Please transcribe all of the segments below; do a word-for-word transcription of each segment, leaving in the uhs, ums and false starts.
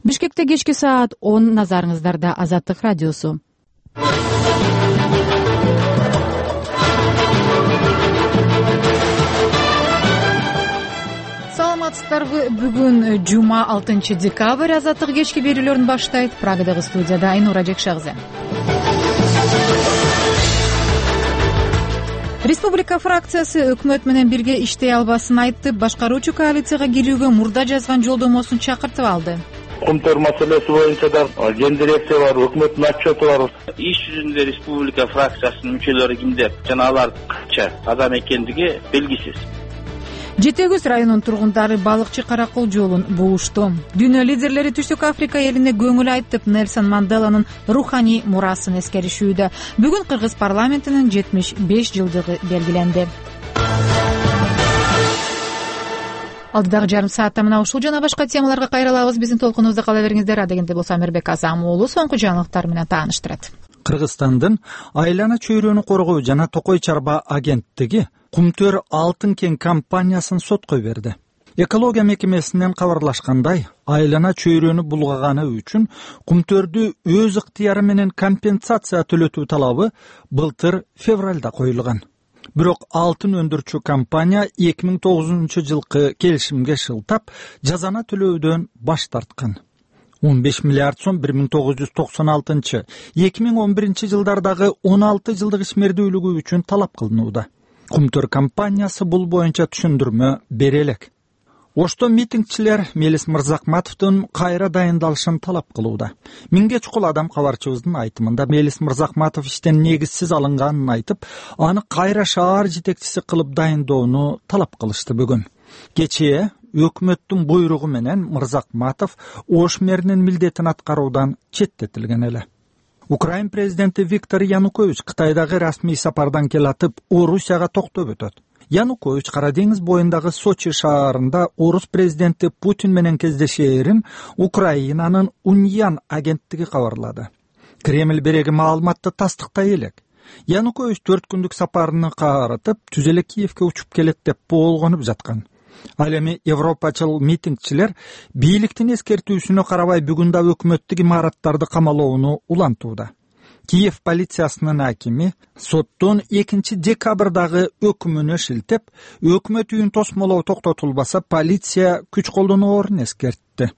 Бишкекте кечки саат он, назарыңыздарда Азаттык радиосу. Саламатсыздарбы? Бүгүн жума алтынчы декабрь. Азаттык кечки берүүлөрүн баштайт. Прагадагы студияда Айнура Жекшагызы. Республика фракциясы өкмөт менен бирге иштей албасын айтып, башкаруучу коалицияга кирүүгө мурда жазган жолдомосун чакыртып алды. Кумтөр маселеси боюнча да ген дирекция бар, өкмөттүн отчету бар. Иш жүзүндө республика фракциясынын мүчөлөрү кимдер жана алар канча адам экендиги белгисиз. Жети Өгүз районунун тургундары балыкчы Каракол жолун буушту. Дүйнө лидерлери Түштүк Африка элине көңүл айтып, Нельсон Манделанын руханий мурасын эскеришүүдө. Бүгүн Кыргыз парламентинин жетимиш беш жылдыгы белгиленди. Алдыдагы жарым саатта мына ушул жана башка темаларга кайрылабыз. Биздин толкунубузда кала бериңиздер. Адегенде болсо Амирбек Азам уулу соңку жаңылыктар менен тааныштырат. Кыргызстандын айлана чөйрөнү коргоо жана Токой Чарба агенттиги Кумтөр алтын кен компаниясын сотко берди. Экология мекемесинен кабарлашкандай, айлана чөйрөнү булгаганы үчүн Кумтөрдү өз ыктыяры менен компенсация төлөтүү талабы былтыр февралда коюлган. Бирок алтын өндүрчү компания эки миң тогузунчу жылкы келишимге шылтап, жазаны төлөөдөн баш тарткан. он беш миллиард сом бир миң тогуз жүз токсон алтынчы эки миң он биринчи жылдардагы он алты жылдык ишмердүүлүгү үчүн талап кылынууда. Кумтөр компаниясы бул боюнча түшүндүрмө бере элек. Ошто митингчилер Мелис Мырзакматовдун кайра дайындалышын талап кылууда. Миңге чукул адам кабарчыбыздын айтымында Мелис Мырзакматов иштен негизсиз алынганын айтып, аны кайра шаар жетекчиси кылып дайындоону талап кылышты бүгүн. Кечээ өкмөттүн буйругу менен Мырзакматов Ош мэринин милдетин аткаруудан четтетилген эле. Украин президенти Виктор Янукович Кытайдагы расмий сапардан келатып, Орусияга токтоп өтөт. Янукович Кара деңиз боюндагы Сочи шаарында орус президенти Путин менен кездешээрин Украинанын Уньян агенттиги кабарлады. Кремль береги маалыматты тастыктай элек. Янукович төрт күндүк сапарыны каарытып, түз эле Киевке учуп келет деп болгонуп жаткан. Ал эми европачыл митингчилер бийликтин эскертүүсүнө карабай бүгүн да өкмөттүк имараттарды камалоону улантууда. Киев полициясынын акими соттун экинчи декабрдагы өкүмүнө шилтеп, өкмөт үйүн тосмолоо токтотулбаса полиция күч колдоноорун эскертти.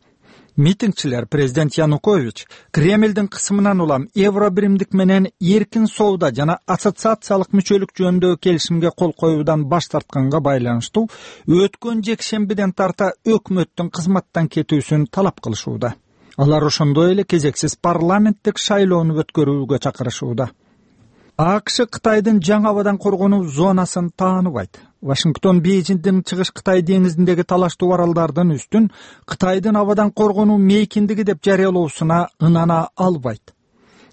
Митингчилер президент Янукович Кремлдин кысымынан улам евро биримдик менен эркин соода жана ассоциациялык мүчөлүк жөнүндөгү келишимге кол коюудан баш тартканга байланыштуу өткөн жекшембиден тарта өкмөттүн кызматтан кетүүсүн талап кылышууда. Алар ошондой эле кезексиз парламенттик шайлоону өткөрүүгө чакырышууда. АКШ Кытайдын жаңы абадан коргонуу зонасын тааныбайт. Вашингтон Бейжиңдин чыгыш Кытай деңизиндеги талаштуу аралдардын үстүн Кытайдын абадан коргонуу мейкиндиги деп жарыялоосуна ынана албайт.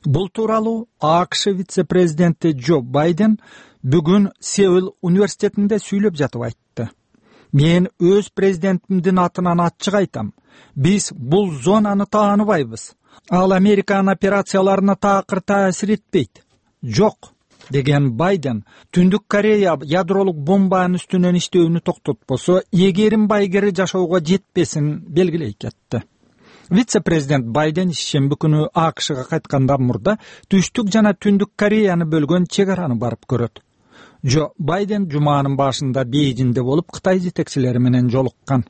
Бул тууралуу АКШ вице-президенти Джо Байден бүгүн Сеул университетинде сүйлөп жатып айтты. Мен өз президентимдин атынан ачык айтам. Биз бул зонаны тааныбайбыз. Ал Американын операцияларына таакыр таасир этпейт. Жок, деген Байден, Түндүк Корея ядролук бомбанын үстүнөн иштөөнү токтотпосо, эгерим байгери жашоого жетпесин белгилей кетти. Вице-президент Байден ишемби күнү АКШга кайткандан мурда Түштүк жана Түндүк Кореяны бөлгөн чек араны барып көрөт. Джо Байден жуманын башында Бейжиңде болуп Кытай жетекчилери менен жолуккан.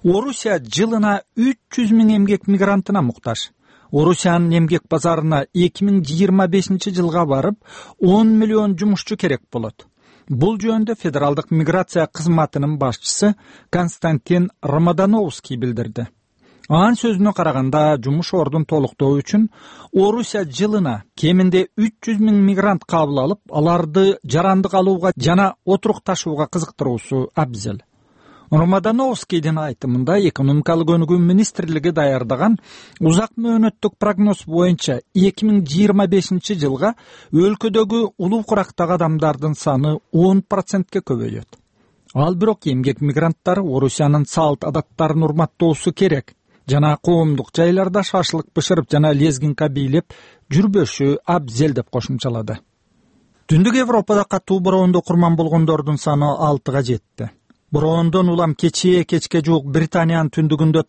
Орусия жылына үч жүз миң эмгек мигрантына муктаж. Орусиянын эмгек базарына эки миң жыйырма бешинчи жылга барып он миллион жумушчу керек болот. Бул жөнүндө федералдык миграция кызматынын башчысы Константин Рамадановский билдирди. Анын сөзүнө караганда, жумуш ордун толуктоо үчүн Орусия жылына кеминде үч жүз миң мигрант кабыл алып, аларды жарандык алууга жана отурукташууга кызыктыруусу абзел. Рамадановскийдин айтымында экономикалык өнүгүү министрлиги даярдаган узак мөөнөттүк прогноз боюнча эки миң жыйырма бешинчи жылга өлкөдөгү улуу курактагы адамдардын саны он процентке көбөйөт. Ал бирок эмгек мигранттары Орусиянын салт адаттарын урматтоосу керек жана коомдук жайларда шашлык бышырып жана лезгинка бийлеп жүрбөшү абзел деп кошумчалады. Түндүк Европада катуу бороондо курман болгондордун саны алтыга жетти. Бороондон улам кечээ кечке жуук Британиянын түндүгүндө